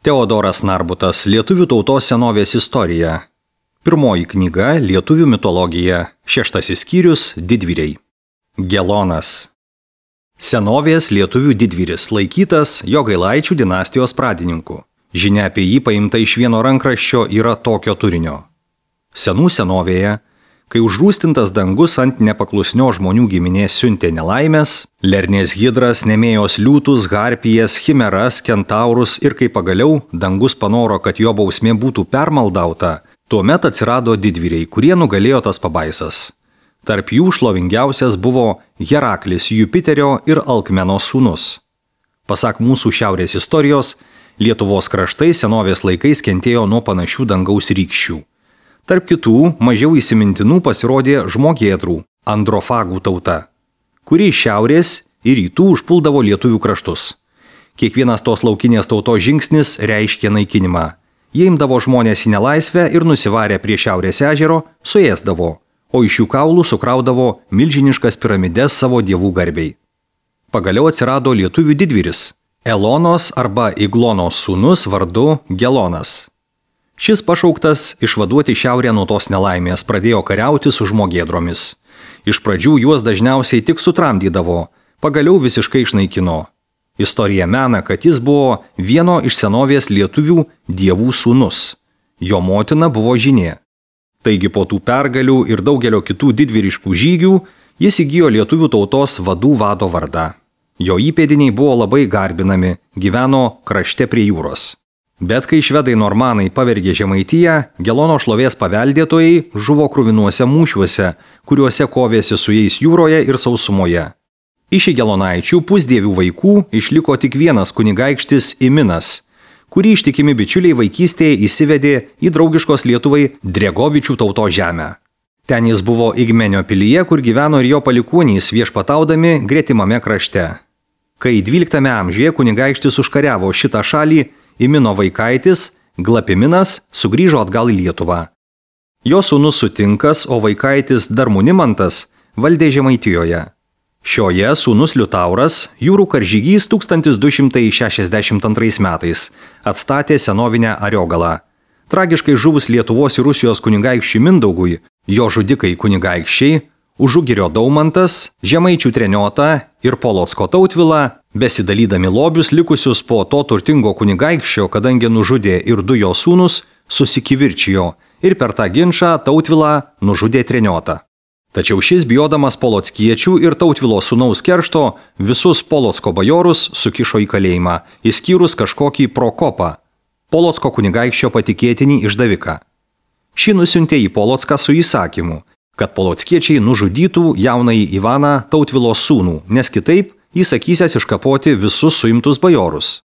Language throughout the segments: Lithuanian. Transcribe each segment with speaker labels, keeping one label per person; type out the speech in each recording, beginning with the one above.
Speaker 1: Teodoras Narbutas, Lietuvių tautos senovės istorija. Pirmoji knyga Lietuvių mitologija. 6 skyrius Didvyriai. Gelonas. Senovės lietuvių didvyris, laikytas Jogailaičių dinastijos pradininku. Žinia apie jį paimta iš vieno rankraščio yra tokio turinio. Senų senovėje, kai užrūstintas dangus ant nepaklusnio žmonių giminės siuntė nelaimės, Lernės hidras, Nemėjos liūtus, harpijas, chimeras, kentaurus ir kai pagaliau dangus panoro, kad jo bausmė būtų permaldauta, tuomet atsirado didvyriai, kurie nugalėjo tas pabaisas. Tarp jų šlovingiausias buvo Heraklis, Jupiterio ir Alkmeno sūnus. Pasak mūsų šiaurės istorijos, Lietuvos kraštai senovės laikais kentėjo nuo panašių dangaus rykščių. Tarp kitų, mažiau įsimintinų pasirodė žmogėdrų, androfagų tauta, kuri iš šiaurės ir rytų užpuldavo lietuvių kraštus. Kiekvienas tos laukinės tautos žingsnis reiškė naikinimą. Jie imdavo žmonės į nelaisvę ir nusivarę prie šiaurės ežero suėsdavo, o iš jų kaulų sukraudavo milžiniškas piramides savo dievų garbei. Pagaliau atsirado lietuvių didvyris, Elonos arba Iglonos sūnus vardu Gelonas. Šis pašauktas išvaduoti šiaurę nuo tos nelaimės pradėjo kariauti su žmogėdromis. Iš pradžių juos dažniausiai tik sutramdydavo, pagaliau visiškai išnaikino. Istorija mena, kad jis buvo vieno iš senovės lietuvių dievų sūnus. Jo motina buvo Žinė. Taigi po tų pergalių ir daugelio kitų didvyriškų žygių jis įgijo lietuvių tautos vadų vado vardą. Jo įpėdiniai buvo labai garbinami, gyveno krašte prie jūros. Bet kai švedai normanai pavergė Žemaitiją, Gelono šlovės paveldėtojai žuvo kruvinuose mūšiuose, kuriuose kovėsi su jais jūroje ir sausumoje. Iš Gelonaičių pusdievių vaikų išliko tik vienas kunigaikštis Iminas, kurį ištikimi bičiuliai vaikystėje įsivedė į draugiškos Lietuvai Dregovičių tautos žemę. Ten jis buvo Igmenio pilyje, kur gyveno ir jo palikuonys viešpataudami gretimame krašte. Kai 12 amžiuje kunigaikštis užkariavo šitą šalį, Imino vaikaitis, Glapiminas, sugrįžo atgal į Lietuvą. Jo sūnus Sutinkas, o vaikaitis Darmunimantas valdė Žemaitijoje. Šioje sūnus Liutauras, jūrų karžygys 1262 metais, atstatė senovinę Ariogalą. Tragiškai žuvus Lietuvos ir Rusijos kunigaikščiui Mindaugui, jo žudikai kunigaikščiai, Užugirio Daumantas, Žemaičių Treniota ir Polocko Tautvila, besidalydami lobius likusius po to turtingo kunigaikščio, kadangi nužudė ir du jo sūnus, susikivirčijo ir per tą ginčą Tautvilą nužudė Treniotą. Tačiau šis, bijodamas polockiečių ir Tautvilo sūnaus keršto, visus Polocko bajorus sukišo į kalėjimą, išskyrus kažkokį Prokopą, Polocko kunigaikščio patikėtinį išdaviką. Šį nusiuntė į Polocką su įsakymu, kad polockiečiai nužudytų jaunąjį Ivaną, Tautvilo sūnų, nes kitaip jis sakysės iškapoti visus suimtus bajorus.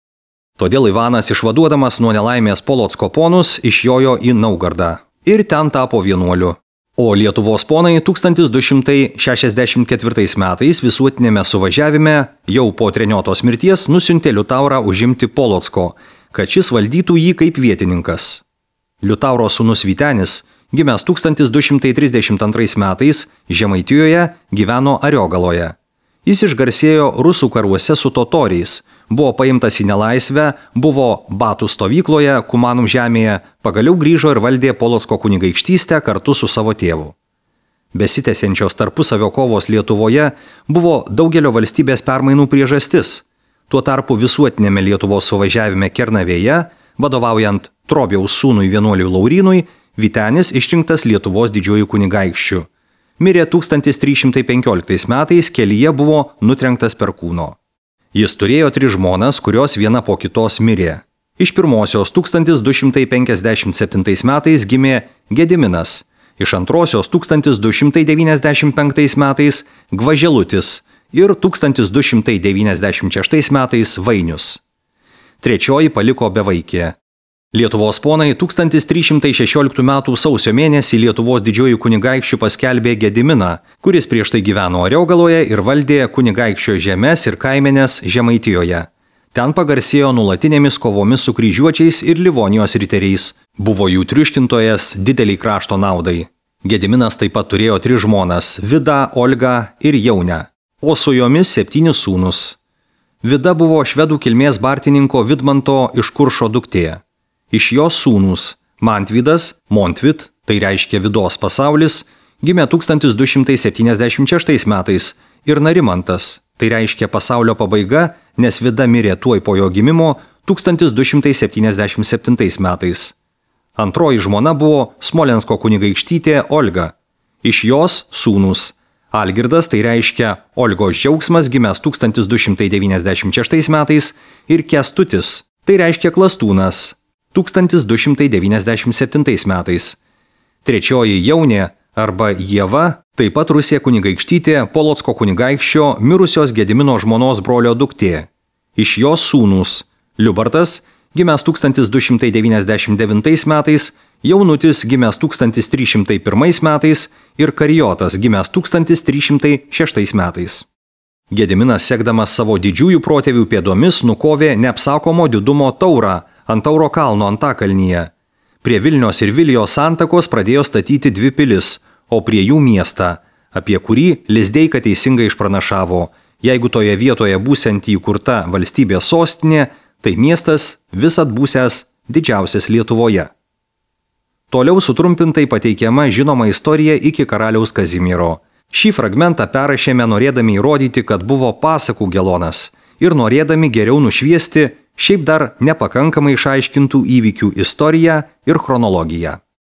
Speaker 1: Todėl Ivanas, išvaduodamas nuo nelaimės Polocko ponus, išjojo į Naugardą ir ten tapo vienuoliu. O Lietuvos ponai 1264 metais visuotinėme suvažiavime jau po Treniotos mirties nusiuntė Liutaurą užimti Polocko, kad šis valdytų jį kaip vietininkas. Liutauro sūnus Vytenis, gimęs 1232 metais, Žemaitijoje gyveno Ariogaloje. Jis išgarsėjo rusų karuose su totoriais, buvo paimtas į nelaisvę, buvo Batų stovykloje, Kumanų žemėje, pagaliau grįžo ir valdė Polocko kunigaikštystę kartu su savo tėvu. Besitęsiančios tarpusavio kovos Lietuvoje buvo daugelio valstybės permainų priežastis. Tuo tarpu visuotinėme Lietuvos suvažiavime Kernavėje, vadovaujant Trobiaus sūnui vienuoliui Laurynui, Vytenis išrinktas Lietuvos didžiuoju kunigaikščiu. Mirė 1315 metais, kelyje buvo nutrenktas perkūno. Jis turėjo 3 žmonas, kurios viena po kitos mirė. Iš pirmosios 1257 metais gimė Gediminas, iš antrosios 1295 metais Gvaželutis ir 1296 metais Vainius. Trečioji paliko bevaikė. Lietuvos ponai 1316 m. sausio mėnesį Lietuvos didžiuoju kunigaikščiu paskelbė Gediminą, kuris prieš tai gyveno Ariogaloje ir valdė kunigaikščio žemes ir kaimenes Žemaitijoje. Ten pagarsėjo nulatinėmis kovomis su kryžiuočiais ir Livonijos riteriais. Buvo jų triuškintojas dideliai krašto naudai. Gediminas taip pat turėjo 3 žmonas – Vidą, Olgą ir Jaunę, o su jomis 7 sūnus. Vida buvo švedų kilmės bartininko Vidmanto iš Kuršo duktė. Iš jos sūnūs Mantvydas, Montvit, tai reiškia Vidos pasaulis, gimė 1276 metais ir Narimantas, tai reiškia pasaulio pabaiga, nes Vida mirė tuoj po jo gimimo 1277 metais. Antroji žmona buvo Smolensko kunigaikštytė Olga. Iš jos sūnūs Algirdas, tai reiškia Olgos džiaugsmas, gimęs 1296 metais, ir Kęstutis, tai reiškia Klastūnas, 1297 metais. Trečioji Jaunė arba Ieva, taip pat Rusija kunigaikštytė Polocko kunigaikščio mirusios Gedimino žmonos brolio duktė. Iš jos sūnūs Liubartas, gimęs 1299 metais, Jaunutis, gimęs 1301 metais ir Karijotas, gimęs 1306 metais. Gediminas, sekdamas savo didžiųjų protėvių pėdomis, nukovė neapsakomo didumo Taurą ant Tauro kalno Antakalnyje. Prie Vilnios ir Vilijos santakos pradėjo statyti 2 pilis, o prie jų miestą, apie kurį Lizdeika teisingai išpranašavo: jeigu toje vietoje būsianti įkurta valstybės sostinė, tai miestas visad būsęs didžiausias Lietuvoje. Toliau sutrumpintai pateikiama žinoma istorija iki karaliaus Kazimiero. Šį fragmentą perrašėme norėdami įrodyti, kad buvo pasakų Gelonas ir norėdami geriau nušviesti šiaip dar nepakankamai išaiškintų įvykių istoriją ir chronologiją.